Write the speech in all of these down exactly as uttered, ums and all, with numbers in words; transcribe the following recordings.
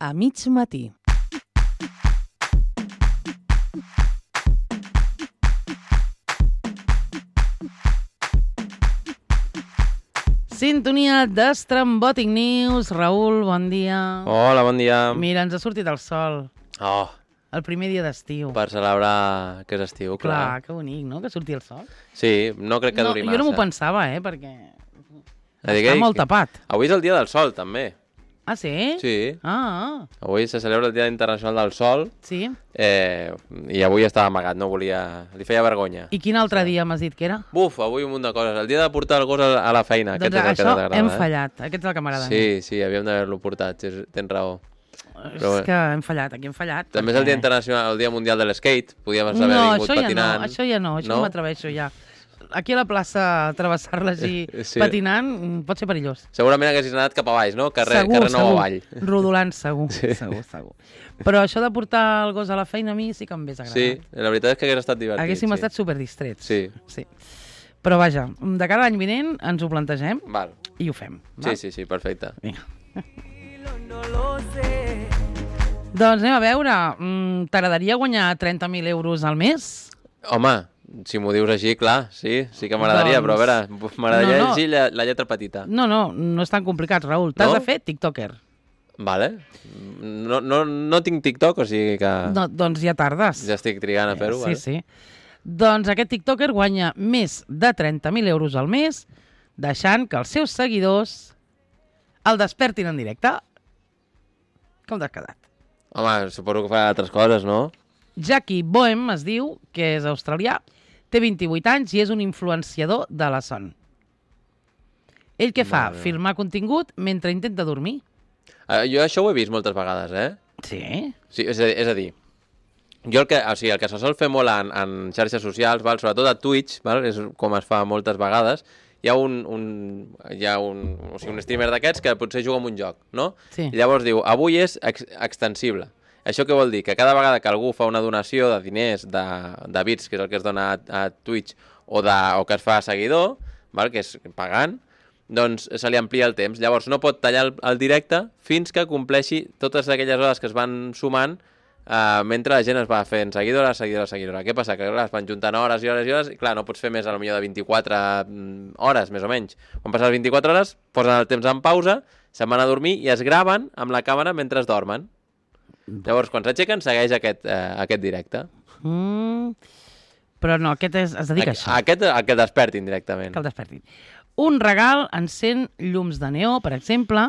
a mig matí. Sintonia d'Estrambòtic News. Raül, bon dia. Hola, bon dia. Mira, ens ha sortit el sol. Oh. El primer dia d'estiu. Per celebrar que és estiu, clar. Clar, que bonic, no?, que surti el sol. Sí, no crec que no, duri massa. Jo no m'ho pensava, eh, perquè Està que... molt tapat. Avui és el dia del sol, també. Ah, sí? Sí. Ah, ah. Avui se celebra el Dia Internacional del Sol. Sí? Eh, I avui estava amagat, no volia... Li feia vergonya. I quin altre dia m'has dit que era? Buf, avui un munt de coses. El dia de portar el gos a la feina. Doncs Aquest és el això que t'agrada, hem eh? fallat. Aquest és el que m'agrada. Sí, sí, havíem d'haver-lo portat. Tens raó. És bueno. que hem fallat, aquí hem fallat. També perquè... és el Dia Internacional, el Dia Mundial de l'Skate. Podíem haver no, vingut patinant. No, això ja no, això no, no m'atreveixo ja. Aquí a la plaça, travessar-la així sí. patinant pot ser perillós. Segurament haguessis anat cap a baix, no? Carrer, segur, carrer nou segur. avall. Rodolant, segur, sí. segur, segur. Però això de portar el gos a la feina a mi sí que em hauria agradat. Sí, la veritat és que hagués estat divertit. Haguéssim sí. estat superdistrets. Sí. sí. Però vaja, de cara a l'any vinent ens ho plantegem val. I ho fem. Val? Sí, sí, sí, perfecte. Vinga. Doncs anem a veure, t'agradaria guanyar trenta mil euros al mes? Home, si m'ho dius així, clar, sí, sí que m'agradaria, doncs... però a veure, m'agradaria no, no. llegir la, la lletra petita. No, no, no és tan complicat, Raül. T'has no? de fer tiktoker. Vale. No, no, no tinc TikTok, o sigui que... No, doncs ja tardes. Ja estic trigant a fer-ho, sí, vale? Sí, sí. Doncs aquest tiktoker guanya més de trenta mil euros al mes, deixant que els seus seguidors el despertin en directe. Com t'has quedat? Home, suposo que fa altres coses, no? Jackie Boehm es diu, que és australià, té vint-i-vuit anys i és un influenciador de la son. Ell què fa? Vale. Filmar contingut mentre intenta dormir. Uh, jo això ho he vist moltes vegades, eh? Sí? Sí, és a, és a dir, jo el que, o sigui, el que se sol fer molt en, en xarxes socials, val? Sobretot a Twitch, val? És com es fa moltes vegades, hi ha un, un, hi ha un, o sigui, un streamer d'aquests que potser juga en un joc, no? Sí. I llavors diu, avui és ex extensible. Això què vol dir? Que cada vegada que algú fa una donació de diners, de, de bits, que és el que es dona a, a Twitch, o, de, o que es fa a seguidor, val? Que és pagant, doncs se li amplia el temps. Llavors no pot tallar el, el directe fins que compleixi totes aquelles hores que es van sumant uh, mentre la gent es va fent seguidora, seguidora, seguidora. Què passa? Que clar, es van juntant hores i hores i hores i clar, no pots fer més a lo millor de vint-i-quatre hores, més o menys. Quan passen les vint-i-quatre hores, posen el temps en pausa, se'n van a dormir i es graven amb la càmera mentre es dormen. Llavors, quan s'aixequen, segueix aquest, eh, aquest directe. Mm, però no, aquest és, es dedica a, a això. Aquest, el que el despertin directament. Que el despertin. Un regal encén llums de neó, per exemple,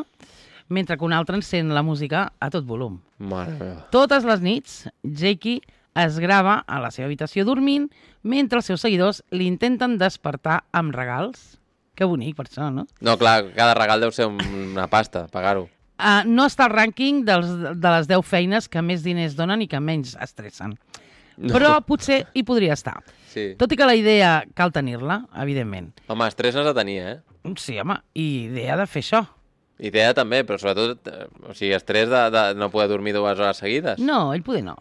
mentre que un altre encén la música a tot volum. Mare meva. Totes les nits, Jackie es grava a la seva habitació dormint mentre els seus seguidors l'intenten despertar amb regals. Que bonic, per això, no? No, clar, cada regal deu ser una pasta, pagar-ho. Uh, no està al rànquing dels, de les deu feines que més diners donen i que menys estressen. No. Però potser hi podria estar. Sí. Tot i que la idea cal tenir-la, evidentment. Home, estrès n'has de tenir, eh? Sí, home, i idea de fer això. Idea també, però sobretot, o sigui, estrès de, de no poder dormir dues hores seguides. No, ell poder no.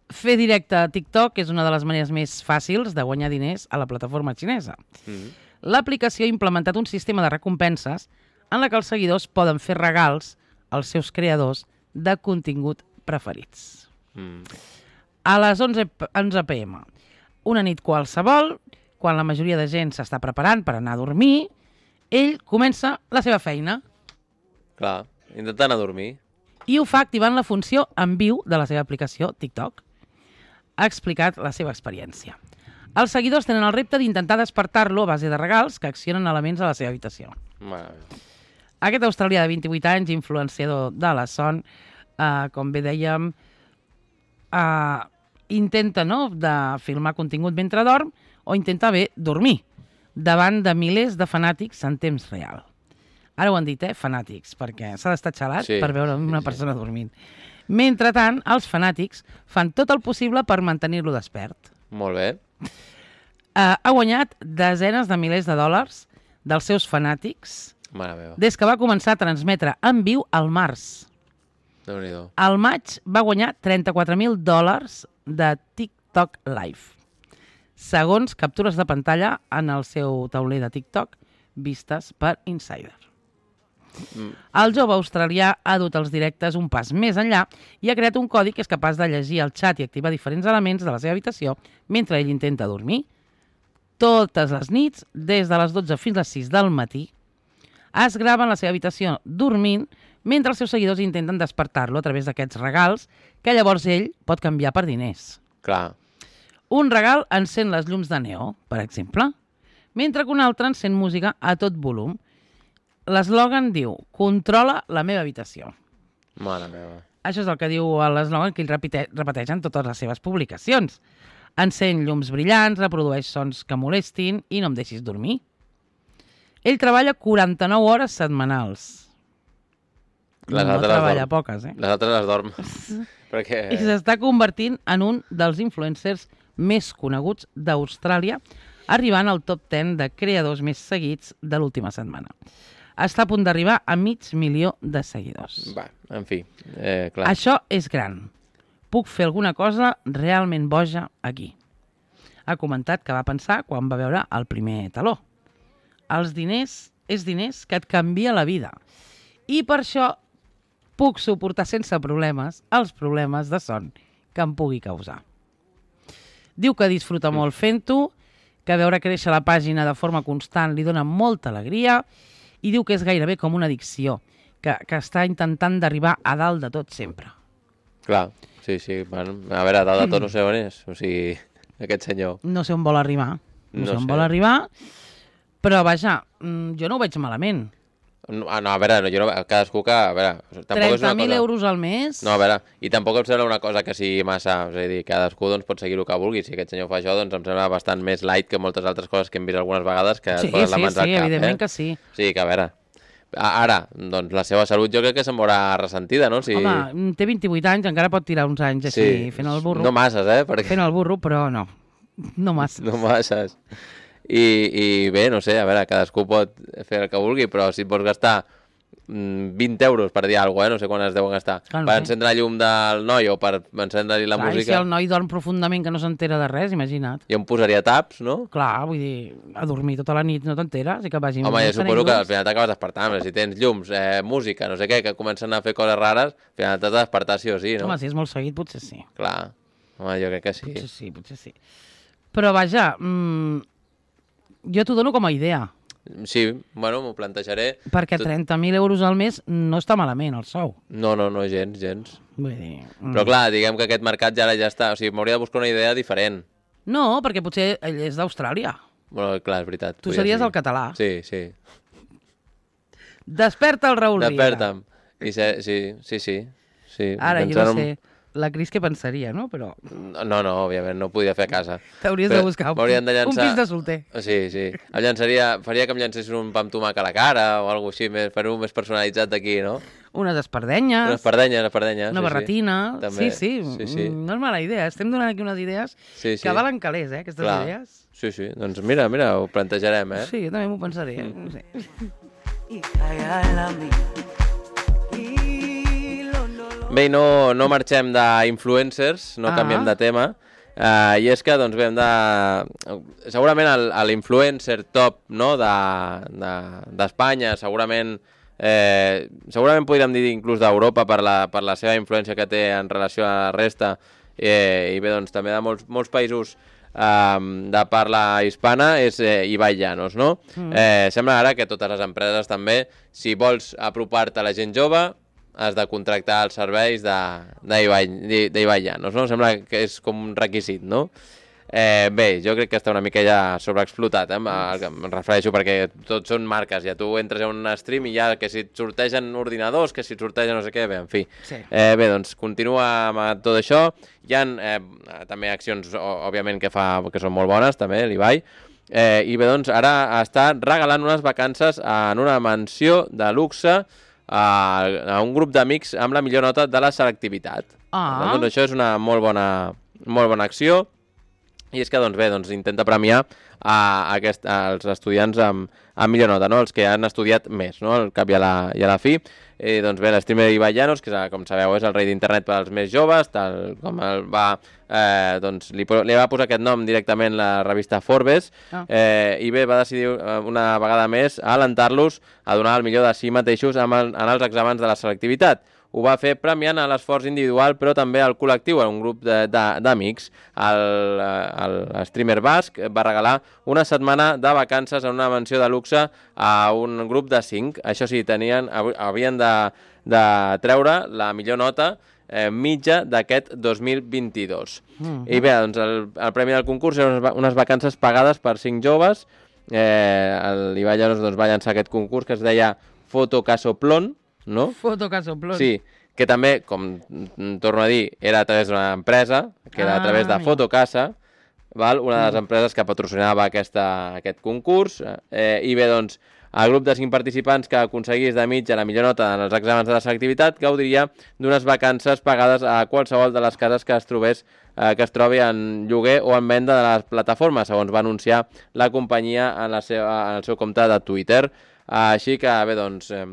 Fer directe a TikTok és una de les maneres més fàcils de guanyar diners a la plataforma xinesa. Mm-hmm. L'aplicació ha implementat un sistema de recompenses en la que els seguidors poden fer regals als seus creadors de contingut preferits. Mm. A les onze pe eme, una nit qualsevol, quan la majoria de gent s'està preparant per anar a dormir, ell comença la seva feina. Clar, intenta anar a dormir. I ho fa activant la funció en viu de la seva aplicació TikTok. Ha explicat la seva experiència. Els seguidors tenen el repte d'intentar despertar-lo a base de regals que accionen elements a la seva habitació. Mare. Aquest australià de vint-i-vuit anys, influenciador de la son, eh, com bé dèiem, eh, intenta no, de filmar contingut mentre dorm o intenta bé dormir davant de milers de fanàtics en temps real. Ara ho han dit, eh, fanàtics, perquè s'ha d'estar xalat sí, per veure una sí, persona sí. dormint. Mentrestant, els fanàtics fan tot el possible per mantenir-lo despert. Molt bé. Eh, ha guanyat desenes de milers de dòlars dels seus fanàtics des que va començar a transmetre en viu al març. Déu-n'hi-do. Al maig va guanyar trenta-quatre mil dòlars de TikTok Live, segons captures de pantalla en el seu tauler de TikTok vistes per Insider. Mm. El jove australià ha dut els directes un pas més enllà i ha creat un codi que és capaç de llegir el xat i activar diferents elements de la seva habitació mentre ell intenta dormir. Totes les nits, des de les dotze fins a les sis del matí, es grava en la seva habitació dormint mentre els seus seguidors intenten despertar-lo a través d'aquests regals que llavors ell pot canviar per diners. Clar. Un regal encén les llums de neó, per exemple, mentre que un altre encén música a tot volum. L'eslògan diu, controla la meva habitació. Mare meva. Això és el que diu l'eslògan que ell repeteix, repeteix en totes les seves publicacions. Encén llums brillants, reprodueix sons que molestin i no em deixis dormir. Ell treballa quaranta-nou hores setmanals. Les no altres treballa dorm. poques, eh? Les altres les dorm. Perquè... I s'està convertint en un dels influencers més coneguts d'Austràlia, arribant al top deu de creadors més seguits de l'última setmana. Està a punt d'arribar a mig milió de seguidors. Va, en fi, eh, clar. Això és gran. Puc fer alguna cosa realment boja aquí. Ha comentat que va pensar quan va veure el primer taló. Els diners és diners que et canvia la vida. I per això puc suportar sense problemes els problemes de son que em pugui causar. Diu que disfruta molt fent-ho, que veure créixer la pàgina de forma constant li dona molta alegria i diu que és gairebé com una addicció, que, que està intentant d'arribar a dalt de tot sempre. Clar, sí, sí. Bueno, a veure, a dalt de tot no sé on és. O sigui, aquest senyor. No sé on vol arribar. No, No sé on sé. vol arribar, però vaja, mm, jo no ho veig malament. No, no, a veure, jo no, cadascú que... A veure, tampoc és una trenta mil cosa... euros al mes? No, a veure, i tampoc em sembla una cosa que sigui massa... És a dir, cadascú doncs, pot seguir el que vulgui. Si aquest senyor fa això, doncs em sembla bastant més light que moltes altres coses que hem vist algunes vegades que Sí, et posen sí, les mans sí, al cap. evidentment eh? que sí. Sí, que a veure... a- Ara, doncs la seva salut jo crec que se'n veurà ressentida, no? Si... Home, té vint-i-vuit anys, encara pot tirar uns anys així, sí, fent el burro. No masses, eh? Perquè... Fent el burro, però no. No massa. No masses. I, I bé, no sé, a veure, cadascú pot fer el que vulgui, però si et vols gastar mm, vint euros per dir alguna cosa, eh? No sé quan es deuen gastar, Clar, no per sé. encendre la llum del noi o per encendre-li la Clar, i si música, el noi dorm profundament que no s'entera de res, imagina't. jo em posaria taps, no? Clar, vull dir, a dormir tota la nit no t'enteres i que vagi... Home, jo encenent suposo que al llums. final t'acabes despertant, però si tens llums, eh, música, no sé què, que comencen a fer coses rares, al final t'has de despertar sí o sí, no? Home, si és molt seguit, potser sí. Clar, home, jo crec que sí. Potser sí, potser sí. Però vaja, mmm, jo t'ho dono com a idea, Sí, bueno, m'ho plantejaré. perquè Tot- trenta mil euros al mes no està malament, el sou. No, no, no, gens, gens. Vull dir... mm. Però clar, diguem que aquest mercat ja ara ja està, o sigui, m'hauria de buscar una idea diferent. No, perquè potser ell és d'Austràlia. Bueno, clar, és veritat. Tu podria series ser. el català. Sí, sí. Desperta el Raül Riera. Desperta'm. I se, sí, sí, sí. sí. Ara, jo Pensant no en- sé, la Cris què pensaria, no? Però No, no, òbviament, no ho podia fer a casa. t'hauries Però de buscar un, m'haurien de un llançar- pis de solter. Sí, sí. Em llançaria, faria que em llancessin un pa amb tomàquet a la cara o alguna així, més, fer-ho més personalitzat d'aquí, no? Unes espardenyes, Unes pardenyes, unes pardenyes. una sí, barretina... Sí. També. Sí, sí, sí, sí. Mm, no és mala idea. Estem donant aquí unes idees Sí, sí. que valen calés, eh, aquestes Clar. idees. Sí, sí. Doncs mira, mira, ho plantejarem, eh? Sí, jo també m'ho pensaré. Eh? No sé. Bé, i no, no marxem d'influencers, no Ah. canviem de tema, uh, i és que, doncs bé, hem de... Segurament el- a l'influencer top, no?, de- d'Espanya, de, segurament... Eh, segurament podríem dir inclús d'Europa per la, per la seva influència que té en relació a la resta, eh, i bé, doncs també de molts, molts països eh, de parla hispana, és eh, Ibai Llanos, no? Mm. Eh, sembla ara que totes les empreses també, si vols apropar-te a la gent jove, has de contractar els serveis d'Ibai Llanos, no? Sembla que és com un requisit, no? Eh, bé, jo crec que està una mica ja sobreexplotat, eh? Em refereixo perquè tots són marques, ja tu entres a un stream i ja que si et sortegen ordinadors, que si et sortegen no sé què, bé, en fi. Sí. Eh, bé, doncs continua amb tot això. Hi ha eh, també accions, ó- òbviament, que fa que són molt bones, també, l'Ibai. Eh, I bé, doncs ara està regalant unes vacances en una mansió de luxe a, a un grup d'amics amb la millor nota de la selectivitat. Ah. Per tant, doncs això és una molt bona, molt bona acció. I és que, doncs bé, doncs, intenta premiar a, a aquest, als estudiants amb, amb millor nota, no? Els que han estudiat més, no? Al cap i a la, i a la fi. Eh, doncs bé, l'streamer Ibai Llanos, que com sabeu és el rei d'internet per als més joves, tal com el va, eh, doncs, li, li va posar aquest nom directament la revista Forbes, ah. eh, i bé, va decidir una vegada més a alentar-los a donar el millor de si mateixos en, el, en els exàmens de la selectivitat. Ho va fer premiant a l'esforç individual, però també al col·lectiu, a un grup d'amics. El, el streamer basc va regalar una setmana de vacances en una mansió de luxe a un grup de cinc. Això sí, tenien, havien de, de treure la millor nota eh, mitja d'aquest dos mil vint-i-dos. Mm-hmm. I bé, doncs el, el premi del concurs eren unes vacances pagades per cinc joves. Eh, L'Ibai Llanos doncs, va llançar aquest concurs que es deia Foto Casoplon, no? Foto Casoplon. Sí, que també, com torno a dir, era a través d'una empresa, que era a través de Fotocasa, val? Una de les empreses que patrocinava aquesta, aquest concurs, eh, i bé, doncs, el grup de cinc participants que aconseguís de mitja la millor nota en els exàmens de la selectivitat gaudiria d'unes vacances pagades a qualsevol de les cases que es trobés eh, que es trobi en lloguer o en venda de les plataformes, segons va anunciar la companyia en, la seva, en el seu compte de Twitter. Així que, bé, doncs... Eh,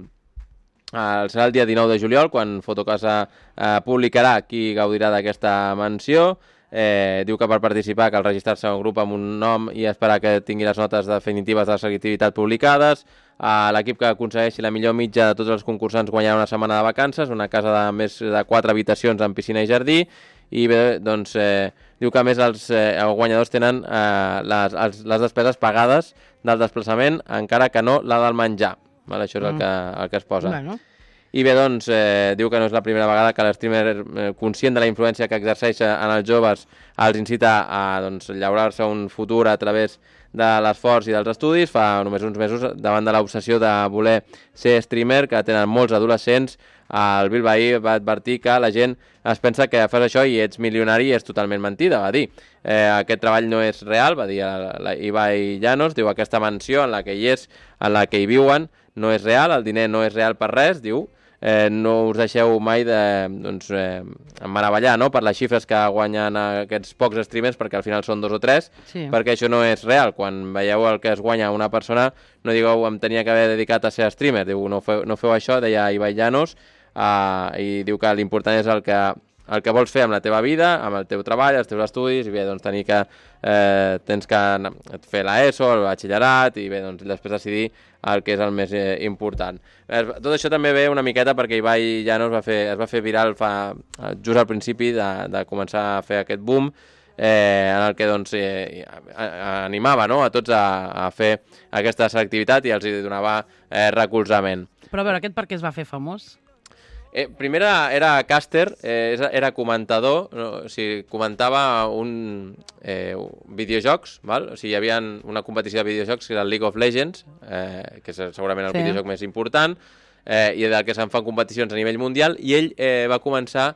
El serà el dia dinou de juliol, quan Fotocasa eh, publicarà qui gaudirà d'aquesta menció. Eh, diu que per participar cal registrar-se a un grup amb un nom i esperar que tingui les notes definitives de la selectivitat publicades. Eh, L'equip que aconsegueixi la millor mitja de tots els concursants guanyarà una setmana de vacances, una casa de més de quatre habitacions amb piscina i jardí. I bé, doncs, eh, diu que a més els, eh, els guanyadors tenen eh, les, els, les despeses pagades del desplaçament, encara que no la del menjar. Vale, això és el que, el que es posa. Bueno. I bé, doncs, eh, diu que no és la primera vegada que l'streamer, eh, conscient de la influència que exerceix en els joves, els incita a doncs, llaurar-se un futur a través de l'esforç i dels estudis. Fa només uns mesos, davant de l'obsessió de voler ser streamer, que tenen molts adolescents, el Bilbaí va advertir que la gent es pensa que fas això i ets milionari i és totalment mentida, va dir. Eh, aquest treball no és real, va dir la, la Ibai Llanos, diu aquesta mansió en la que hi és, en la que hi viuen, no és real, el diner no és real per res, diu, eh, no us deixeu mai de, doncs, eh, meravellar, no?, per les xifres que guanyen aquests pocs streamers, perquè al final són dos o tres, sí. Perquè això no és real. Quan veieu el que es guanya una persona, no digueu, em tenia que haver dedicat a ser streamer, diu, no feu, no feu això, deia Ibai Llanos, eh, i diu que l'important és el que, el que vols fer amb la teva vida, amb el teu treball, els teus estudis, i bé, doncs tenir que, eh, tens que fer l'ESO, el batxillerat, i bé, doncs després decidir el que és el més eh, important. Tot això també ve una miqueta perquè Ibai Llanos va fer, es va fer viral fa, just al principi de, de començar a fer aquest boom, eh, en el que doncs, eh, animava, no?, a tots a, a fer aquesta selectivitat i els donava eh, recolzament. Però a veure, aquest per què es va fer famós? Eh, primer era, era caster, eh, era comentador, no? O sigui, comentava un eh, videojocs, val? O sigui, hi havia una competició de videojocs que era el League of Legends, eh, que és segurament el sí. videojoc més important, eh, i del que se'n fan competicions a nivell mundial, i ell eh, va començar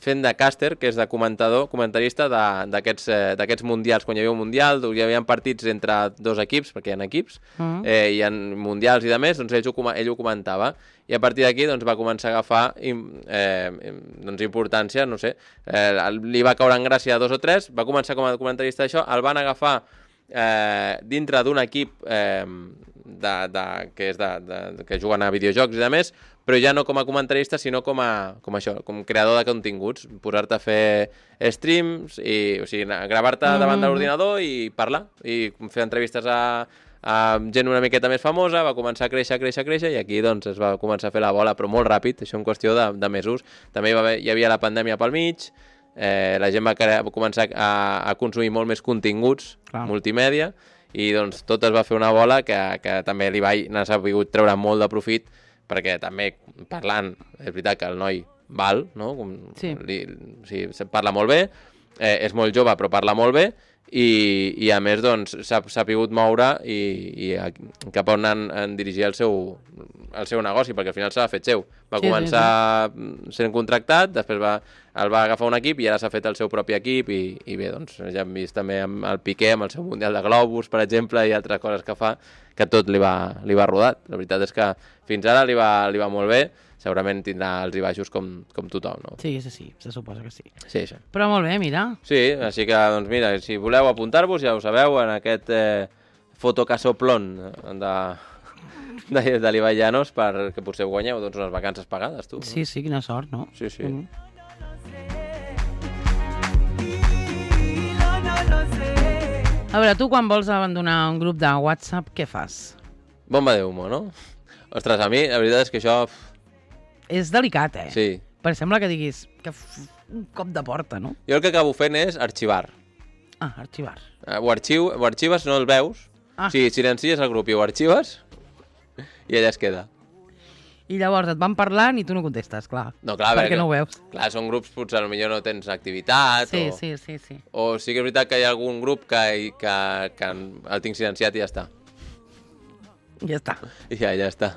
fent de caster, que és de comentador, comentarista d'aquests eh, mundials. Quan hi havia un mundial, hi havia partits entre dos equips, perquè hi ha equips, uh -huh. eh, hi ha mundials i de més, doncs ell ho, ell ho comentava. I a partir d'aquí doncs, va començar a agafar eh, doncs, importància, no sé, eh, li va caure en gràcia a dos o tres, va començar com a comentarista d'això, el van agafar eh, dintre d'un equip eh, de, de, que, és de, de, que juguen a videojocs i de més, però ja no com a comentarista, sinó com a com això, com creador de continguts, posar-te a fer streams, i, o sigui, gravar-te mm-hmm. davant de l'ordinador i parlar, i fer entrevistes a, a gent una miqueta més famosa, va començar a créixer, a créixer, a créixer, i aquí doncs es va començar a fer la bola, però molt ràpid, això en qüestió de, de mesos. També hi, va haver, hi havia la pandèmia pel mig, eh, la gent va, crear, va començar a, a consumir molt més continguts, clar, multimèdia, i doncs tot es va fer una bola que, que també l'Ibai n'ha sabut treure molt de profit, perquè també parlant, és veritat que el noi val, no? Com, sí. Li, o sigui, parla molt bé, eh, és molt jove però parla molt bé, i, i a més doncs s'ha sapigut moure i, i cap on en, en dirigir el seu, el seu negoci, perquè al final s'ha fet seu. Va sí, començar sí, sí. sent contractat, després va, el va agafar un equip i ara s'ha fet el seu propi equip, i, i bé, doncs ja hem vist també amb el Piqué, amb el seu Mundial de Globus, per exemple, i altres coses que fa, que tot li va, li va rodat. La veritat és que fins ara li va, li va molt bé, segurament tindrà els i baixos com, com tothom, no? Sí, sí, sí, se suposa que sí. Sí, això. Però molt bé, mira. Sí, així que, doncs mira, si voleu apuntar-vos, ja ho sabeu, en aquest eh, fotocasoplon de, de, de l'Ibai Llanos, perquè potser guanyeu doncs, unes vacances pagades, tu. Sí, sí, quina sort, no? Sí, sí. Mm. A veure, tu quan vols abandonar un grup de WhatsApp, què fas? Bomba de humo, no? Ostres, a mi, la veritat és que això... És delicat, eh? Sí. Perquè sembla que diguis que f... un cop de porta, no? Jo el que acabo fent és arxivar. Ah, arxivar. Eh, ho, arxiu, ho arxives, no el veus. Ah. Sí, silencies el grup i ho arxives i allà es queda. I llavors et van parlant i tu no contestes, clar. No, clar, perquè perquè no ho veus. Clar, són grups, potser potser no tens activitat. Sí, o... sí, sí, sí. O sí que és veritat que hi ha algun grup que, que, que el tinc silenciat i ja està. Ja està. I ja, ja està.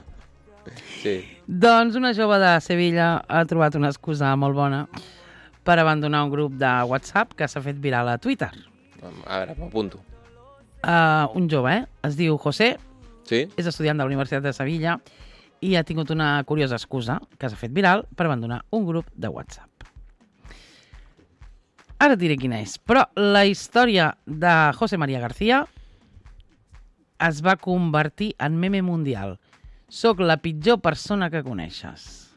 Sí. Doncs una jove de Sevilla ha trobat una excusa molt bona per abandonar un grup de WhatsApp que s'ha fet viral a Twitter. A veure, m'apunto. Uh, un jove, eh? Es diu José, sí? És estudiant de la Universitat de Sevilla i ha tingut una curiosa excusa que s'ha fet viral per abandonar un grup de WhatsApp. Ara et diré quina és, però la història de José María García es va convertir en meme mundial. Soc la pitjor persona que coneixes.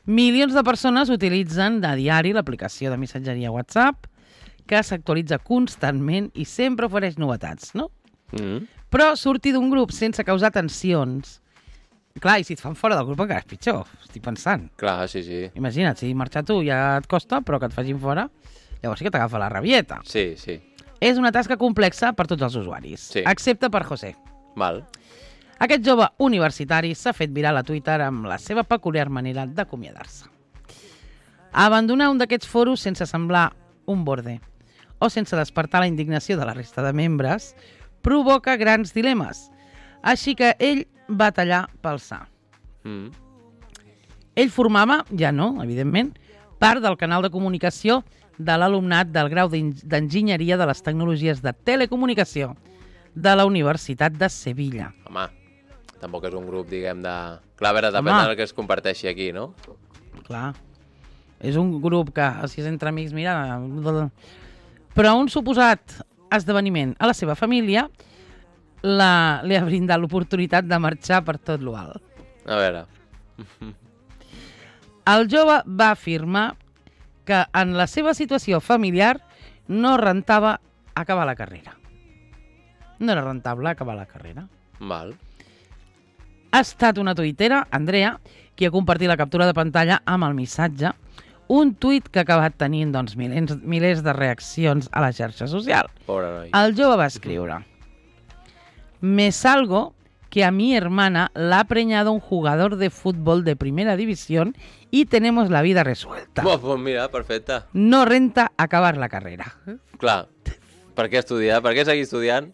Milions de persones utilitzen de diari l'aplicació de missatgeria WhatsApp, que s'actualitza constantment i sempre ofereix novetats, no? Mm. Però sortir d'un grup sense causar tensions... Clar, i si et fan fora del grup encara és pitjor, estic pensant. Clar, sí, sí. Imagina't, si marxar tu ja et costa, però que et facin fora, llavors sí que t'agafa la rabieta. Sí, sí. És una tasca complexa per tots els usuaris, sí. excepte per José. Val. Aquest jove universitari s'ha fet viral a Twitter amb la seva peculiar manera d'acomiadar-se. Abandonar un d'aquests foros sense semblar un borde o sense despertar la indignació de la resta de membres provoca grans dilemes. Així que ell va tallar pel sa. Mm. Ell formava, ja no, evidentment, part del canal de comunicació de l'alumnat del grau d'Enginyeria de les Tecnologies de Telecomunicació de la Universitat de Sevilla. Home, tampoc és un grup, diguem, de... Clar, a veure, depèn Home. del que es comparteixi aquí, no? Clar. És un grup que, si és entre amics, mira... Però un suposat esdeveniment a la seva família la, li ha brindat l'oportunitat de marxar per tot l'alt. A veure... El jove va afirmar que en la seva situació familiar no rentava acabar la carrera. No era rentable acabar la carrera. Val. Ha estat una tuitera, Andrea, qui ha compartit la captura de pantalla amb el missatge, un tuit que ha acabat tenint doncs, milers, milers de reaccions a la xarxa social. Pobre noi. El jove va escriure: Me salgo que a mi hermana la ha preñado un jugador de fútbol de primera división y tenemos la vida resuelta. Pues, pues mira, perfecte. No renta acabar la carrera. Clar, per què estudiar? Per què seguir estudiant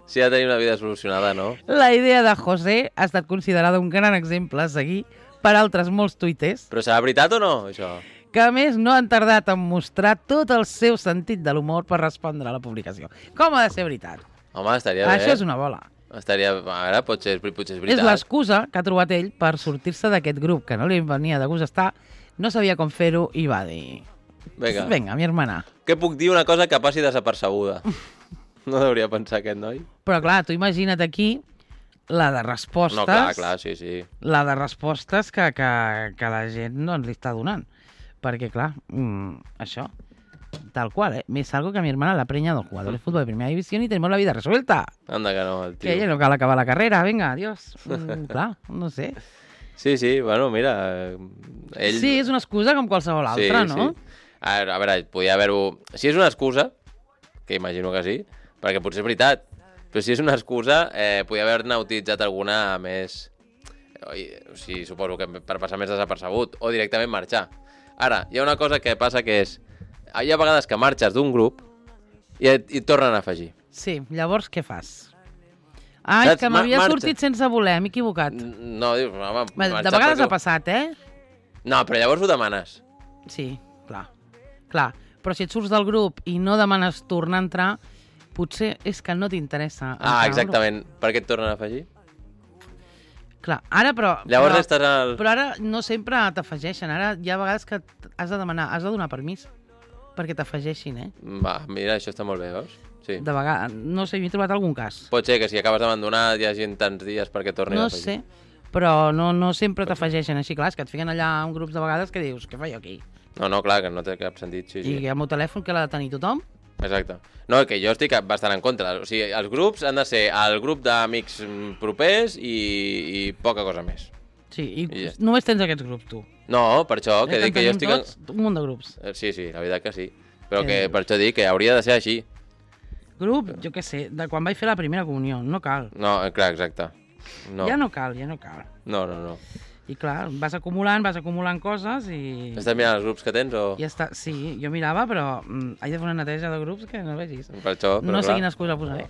si ha de tenir una vida solucionada, no? La idea de José ha estat considerada un gran exemple a seguir per altres molts tuiters, Però serà veritat o no, això? que a més no han tardat en mostrar tot el seu sentit de l'humor per respondre a la publicació. Com ha de ser veritat? Home, estaria bé. Això és una bola. Estaria... A veure, potser, potser és És veritat. l'excusa que ha trobat ell per sortir-se d'aquest grup, que no li venia de gust estar, no sabia com fer-ho i va dir... Vinga. Vinga, mi hermana. Què puc dir una cosa que passi desapercebuda? No hauria pensar aquest noi. Però clar, tu imagina't aquí la de respostes... No, clar, clar, sí, sí. La de respostes que, que, que la gent no ens li està donant. Perquè, clar, mm, això, tal qual, ¿eh? Me salgo que a mi hermana la preña del jugador de fútbol de primera división y tenemos la vida resuelta. Anda que no, el tio. Que ella no cal acabar la carrera, venga, adiós. Mm, clar, no sé. Sí, sí, bueno, mira... Ell... Sí, és una excusa com qualsevol altra, sí, no? Sí. A veure, a veure, podia haver-ho... Si és una excusa, que imagino que sí, perquè potser és veritat, però si és una excusa, eh, podia haver-ne utilitzat alguna més... O sigui, suposo que per passar més desapercebut, o directament marxar. Ara, hi ha una cosa que passa que és... Hi ha vegades que marxes d'un grup i et, i et tornen a afegir. Sí, llavors què fas? Ai, Saps? que m'havia Ma- marxa. sortit sense voler, m'he equivocat. No, dius, home... De marxa vegades perquè- ha passat, eh? No, però llavors ho demanes. Sí, clar. Clar, però si et surts del grup i no demanes tornar a entrar, potser és que no t'interessa. Ah, exactament. Per què et tornen a afegir? Clar, ara però... Llavors però, estàs al... Però ara no sempre t'afegeixen. Ara hi ha vegades que has de demanar, has de donar permís perquè t'afegeixin, eh? Va, mira, això està molt bé, veus? Sí. De vegades, no sé, m'he trobat algun cas. Pot ser que si acabes d'abandonar hi hagi tants dies perquè tornin No a afegir. sé, però no, no sempre t'afegeixen així. Clar, és que et fiquen allà en grups de vegades que dius, què faig aquí? No, no, clar, que no té cap sentit. Sí, sí. I el meu telèfon que l'ha de tenir tothom? Exacte. No, que jo estic bastant en contra. O sigui, els grups han de ser el grup d'amics propers i, i poca cosa més. Sí, i, I ja. només tens aquests grups, tu. No, per això, que Eh, dic que jo estic... tots, un munt de grups. En... Sí, sí, la veritat que sí. Però Eh. que per això dic que hauria de ser així. Grup, jo què sé, de quan vaig fer la primera comunió, no cal. No, clar, exacte. No. Ja no cal, ja no cal. No, no, no. I clar, vas acumulant, vas acumulant coses i... Estàs mirant els grups que tens o...? Ja està, sí, jo mirava, però mm, haig de fer una neteja de grups que no vegis. Per això, però No sé clar. quina excusa posaré.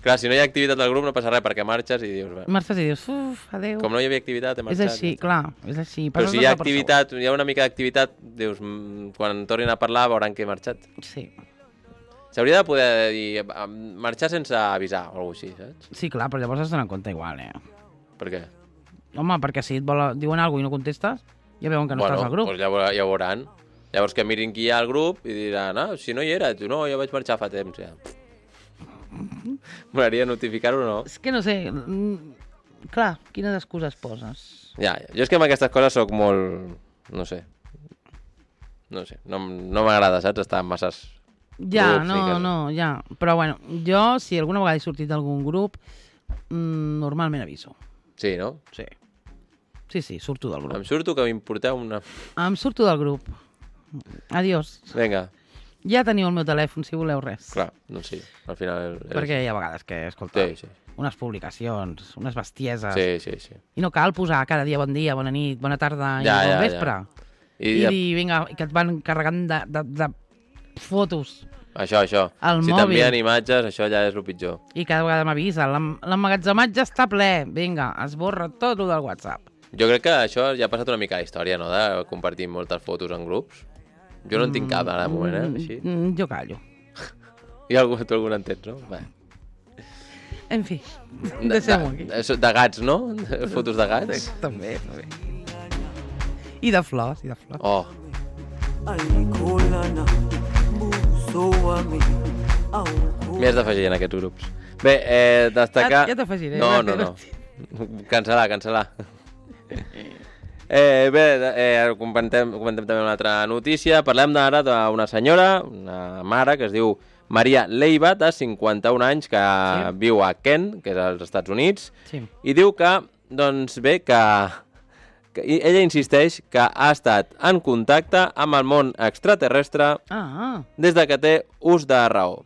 Clar, si no hi ha activitat al grup no passa res perquè marxes i dius... Bé, Marxes i dius, uf, adéu. com no hi havia activitat he És marxat. així, clar, és així. Però Passes si hi ha de per segur. activitat, hi ha una mica d'activitat, dius, mm, quan tornin a parlar veuran que he marxat. Sí. S'hauria de poder dir, eh, marxar sense avisar o alguna cosa així, saps? Sí, clar, però llavors has d'anar en compte igual, eh? Per què? Home, perquè si et vol, diuen alguna cosa i no contestes, ja veuen que no estàs al grup. Doncs ja, veurà- ja ho veuran. Llavors que mirin qui hi ha al grup i diran, ah, si no hi era, tu no, jo vaig marxar fa temps, ja. M'agradaria notificar-ho o no? És que no sé, mm, clar, quines excuses poses? Ja, ja, jo és que amb aquestes coses sóc molt... no sé. No sé, no, no m'agrada, saps? Estar en masses Ja, grups i no, que... no, ja. Però bueno, jo, si alguna vegada he sortit d'algun grup, mm, normalment aviso. Sí, no? Sí. Sí, sí, surto del grup. Em surto que m'importeu una... Em surto del grup. Adiós. Vinga, Ja teniu el meu telèfon, si voleu res. clar, no sé, al final... És... Perquè hi ha vegades que, escolta, Sí, sí. unes publicacions, unes bestieses, Sí, sí, sí. i no cal posar cada dia bon dia, bona nit, bona tarda i Ja, bon ja, vespre. I, I ja, dir, vinga, que et van carregant de, de, de fotos. això, això. al Si mòbil. t'envien imatges, això ja és el pitjor. I cada vegada m'avisa, l'em- l'emmagatzematge està ple, vinga, esborra tot el del WhatsApp. Jo crec que això ja ha passat una mica a la història, no?, de compartir moltes fotos en grups. Jo no en tinc cap ara de moment, eh? Així. Mm, jo callo. I algú, tu algun en tens, no? Bé. En fi, De, deixem-ho aquí. de, de, de gats, no? Fotos de gats? Sí, també, també. I de flors, i de flors. Oh, m'hi has d'afegir en aquests grups. Bé, eh, destacar... Ja- ja t'afegiré, No, va, no, que no. Cancel·lar, cancel·lar. Eh, bé, eh, comentem, comentem també una altra notícia. Parlem ara d'una senyora, una mare, que es diu Maria Leiva, de cinquanta-un anys, que Sí. viu a Kent, que és als Estats Units, Sí. i diu que, doncs bé, que, que i- ella insisteix que ha estat en contacte amb el món extraterrestre Ah, des de que té ús de raó.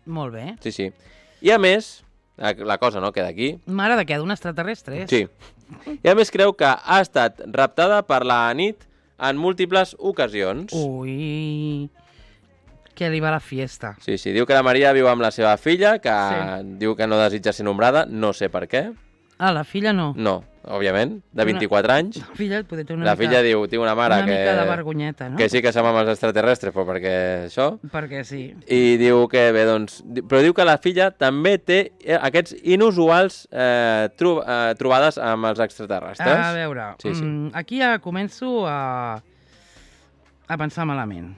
molt bé. Sí, sí. I a més, la, la cosa no queda aquí, Mare de què? D'un extraterrestre? és? sí. I a més creu que ha estat raptada per la nit en múltiples ocasions. Ui, que li va la fiesta. Sí, sí, diu que la Maria viu amb la seva filla, que Sí. diu que no desitja ser nombrada, no sé per què. Ah, la filla no. No, òbviament, de vint-i-quatre anys. La filla poder té una La mica, filla diu, tinc una mare una que, mica de vergonyeta, no? que sí que som amb els extraterrestres, però perquè això... Perquè sí. I diu que, bé, doncs... di- Però diu que la filla també té eh, aquests inusuals eh, tro eh, trobades amb els extraterrestres. A veure, Sí, sí. mm, aquí ja començo a, a pensar malament.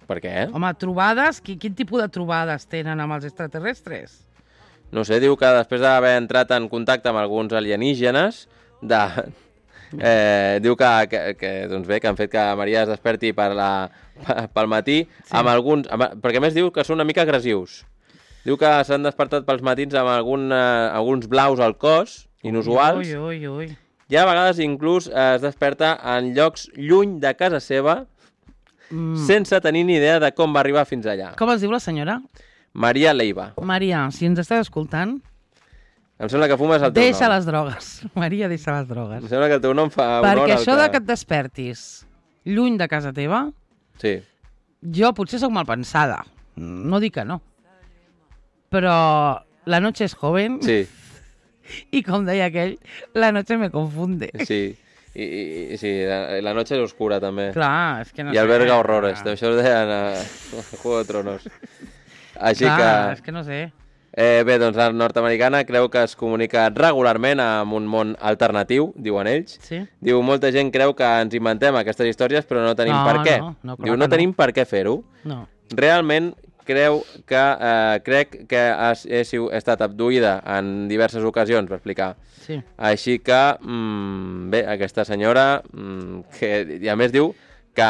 Per què? Home, trobades, qui, quin tipus de trobades tenen amb els extraterrestres? No sé, diu que després d'haver entrat en contacte amb alguns alienígenes, de, eh, diu que, que, que, doncs bé, que han fet que Maria es desperti per la, pel matí, Sí. amb alguns, amb, perquè a més diu que són una mica agressius. Diu que s'han despertat pels matins amb algun, eh, alguns blaus al cos, inusuals, Ui, ui, ui. i a vegades inclús es desperta en llocs lluny de casa seva, Mm. sense tenir ni idea de com va arribar fins allà. Com es diu la senyora? Maria Leiva. Maria, si ens estàs escoltant, Em sembla que fumes el teu deixa nom. les drogues. Maria, deixa les drogues. Em sembla que el teu nom fa honor Perquè al això de que et despertis lluny de casa teva, Sí. jo potser sóc mal pensada. No dic que no. Però la noche es joven Sí, i, com deia aquell, la noche me confunde. sí. I, i, i sí, la, la noche es oscura també. Clar, és que no I sé. alberga horrores. Això ho deien a, a Juego de Tronos. Així Clar, que... és que no sé. Eh, bé, doncs la nord-americana creu que es comunica regularment amb un món alternatiu, diuen ells. Sí? Diu, molta gent creu que ens inventem aquestes històries, però no tenim No, per què. no, no, clar Diu, que no no. tenim per què fer-ho. No. Realment creu que, eh, crec que has, he, siu- he estat abduïda en diverses ocasions, va explicar. Sí. Així que, mm, bé, aquesta senyora, mm, que, i a més diu que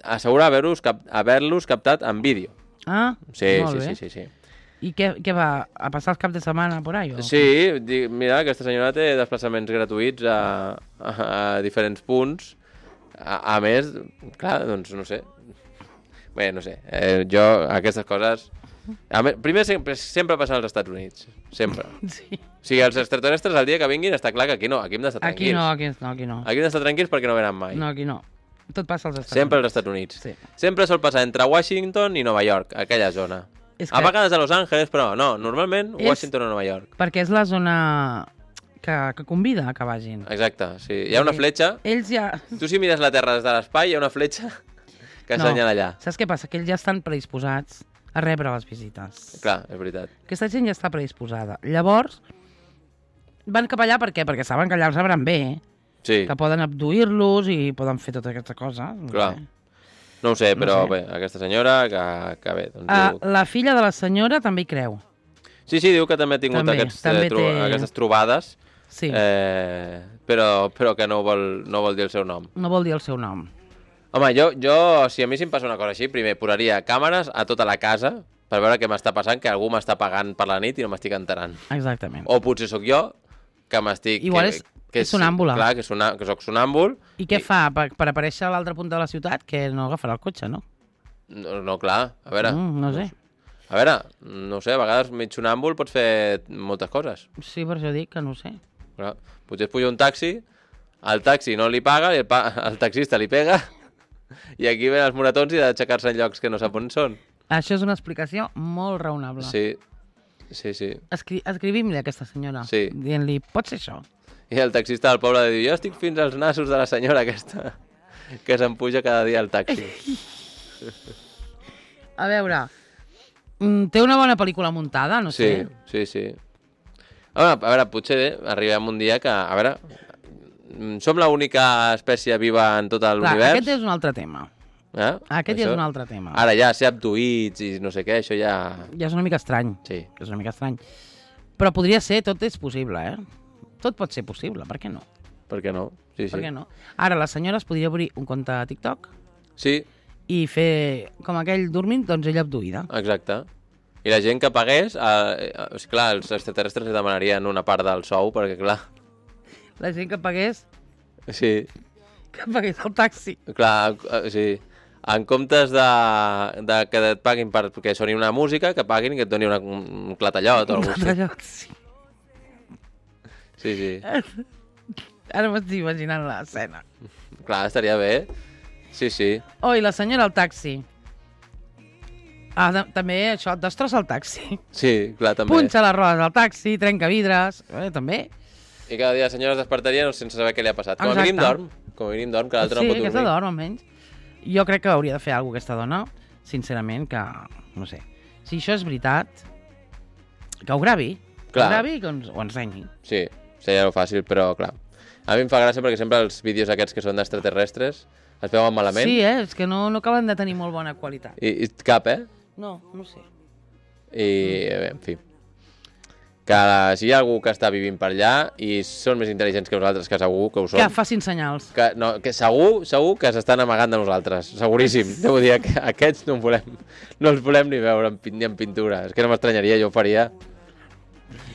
assegura haver-los cap, haver-los captat en vídeo. Ah, Sí, molt sí, bé. sí, sí, sí. I què, què va? A passar els caps de setmana por ahí? O? Sí, di- mira, aquesta senyora té desplaçaments gratuïts a, a, a diferents punts. A, a més, clar, doncs no sé. Bé, no sé, eh, jo aquestes coses... A més, primer, sempre, sempre passen als Estats Units, sempre. Sí. O sigui, els extraterrestres el dia que vinguin està clar que aquí no, aquí hem d'estar Aquí tranquils. no, aquí no, aquí no. Aquí hem d'estar tranquils perquè no venen mai. No, aquí no. Tot passa als Estats Sempre als Units. Estats Units. Sí. Sempre sol passar entre Washington i Nova York, aquella zona. És A que- vegades a Los Angeles, però no, normalment És- Washington o Nova York. Perquè és la zona que, que convida a que vagin. Exacte, sí. Hi ha una fletxa. Ells ja... Tu si mires la Terra des de l'espai, hi ha una fletxa que No. assenyala allà. Saps què passa? Que ells ja estan predisposats a rebre les visites. Clar, és veritat. Aquesta gent ja està predisposada. Llavors, van cap allà per què? Perquè saben que allà els sabran bé, Sí, que poden abduir-los i poden fer tota aquesta cosa. No clar. sé. No ho sé, No però sé. bé, aquesta senyora que, que bé, doncs Ah, diu... la filla de la senyora també hi creu. Sí, sí, diu que també ha tingut També, aquests, també eh, tro té- aquestes trobades, Sí, eh, però, però que no vol, no vol dir el seu nom. no vol dir el seu nom. Home, jo, jo, si a mi si em passa una cosa així, primer posaria càmeres a tota la casa per veure què m'està passant, que algú m'està pagant per la nit i no m'estic enterant. Exactament. O potser sóc jo, que m'estic... Igual que, és- que és sonàmbula. Clar, que, sona, que soc sonàmbul. I què fa per, per aparèixer a l'altre punt de la ciutat? Que no agafarà el cotxe, no? No, no, clar, a veure... Mm, no sé. A veure, no sé, a vegades mig sonàmbul pots fer moltes coses. Sí, per això dic que no ho sé. Clar, potser es puja un taxi, el taxi no li paga, i el, pa el taxista li pega, i aquí ven els moratons i ha d'aixecar-se en llocs que no sap on són. Això és una explicació molt raonable. Sí, sí, sí. Escri Escrivim-li a aquesta senyora, Sí. dient-li, pot ser això? I el taxista del poble diu, jo estic fins als nassos de la senyora aquesta, que se'n puja cada dia al taxi. A veure, mm, té una bona pel·lícula muntada, no Sí, sé. sí, sí. A veure, a veure, potser arribem un dia que, a veure, mm, som l'única espècie viva en tot Clar, l'univers. aquest és un altre tema. Eh? Aquest ja Això- és un altre tema. Ara ja ser abduïts i no sé què, això ja... Ja és una mica estrany. Sí. És una mica estrany. Però podria ser, tot és possible, eh? Tot pot ser possible, per què no? Per què no? Sí, sí. Per què no? Ara, la senyora es podria obrir un compte a TikTok Sí, i fer com aquell dormint, doncs ella abduïda. exacte. I la gent que pagués, eh, eh, clar, els extraterrestres li demanarien una part del sou, perquè clar, La gent que pagués, sí, que pagués el taxi. clar, eh, sí. En comptes de, de que et paguin per, perquè soni una música, que paguin i que et doni una, un clatallot o alguna cosa així. Allò, sí. Sí, sí. Ara m'estic imaginant l'escena. Clar, estaria bé. Sí, sí. Oh, i la senyora al taxi. Ah, de, també això, destrossa el taxi. Sí, clar, també. Punxa les rodes del taxi, trenca vidres, eh, també. I cada dia la senyora es despertaria sense saber què li ha passat. Com a Exacte. mínim dorm. Com a mínim dorm, que l'altre sí, no pot aquesta dormir. dorm, almenys. Jo crec que hauria de fer alguna cosa aquesta dona, sincerament, que, no sé, si això és veritat, que ho gravi, que Clar. ho gravi i que ens, ho ensenyi. Sí, seria fàcil, però clar. A mi em fa gràcia perquè sempre els vídeos aquests que són d'extraterrestres es veuen malament. Sí, eh? És que no, no acaben de tenir molt bona qualitat. I, I cap, eh? No, no sé. I, bé, en fi. Que la, si hi ha algú que està vivint per allà i són més intel·ligents que nosaltres, que segur que ho són, Que facin senyals. que, no, que segur, segur que s'estan amagant de nosaltres, seguríssim. Devo dir que aquests no, en volem, no els volem ni veure en, pin- ni en pintura. És que no m'estranyaria, jo ho faria.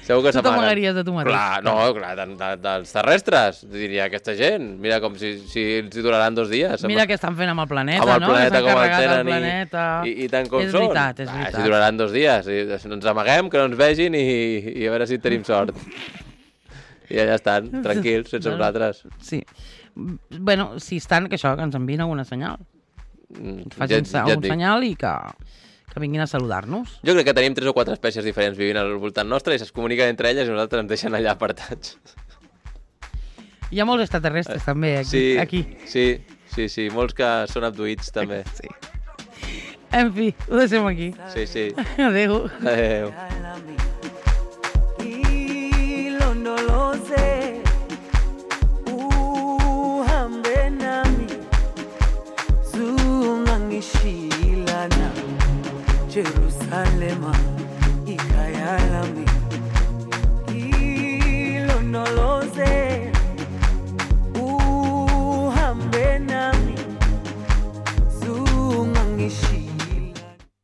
Segur que Tu s'amaguen. t'amagaries de tu mateix. Clar, no, clar, de, de, dels terrestres, diria aquesta gent. Mira com si, si els hi duraran dos dies. Mira què estan fent amb el planeta, amb el no? planeta que s'han com el carregat tenen el planeta. i, i, i tant com és són. veritat, és Ah, veritat. si duraran dos dies. I, ens amaguem, que no ens vegin i, i a veure si tenim sort. I allà estan, tranquils, sense nosaltres. Sí. Bueno, si estan, que això, que ens envien alguna senyal. Mm, Facin ja, ja, ja et un dic. senyal i que, que vinguin a saludar-nos. Jo crec que tenim tres o quatre espècies diferents vivint al voltant nostre i es comuniquen entre elles i nosaltres ens deixen allà apartats. Hi ha molts extraterrestres, també, aquí. Sí, aquí. sí, sí, sí, molts que són abduïts també. Sí. En fi, ho deixem aquí. Sí, sí. Adéu. Adéu.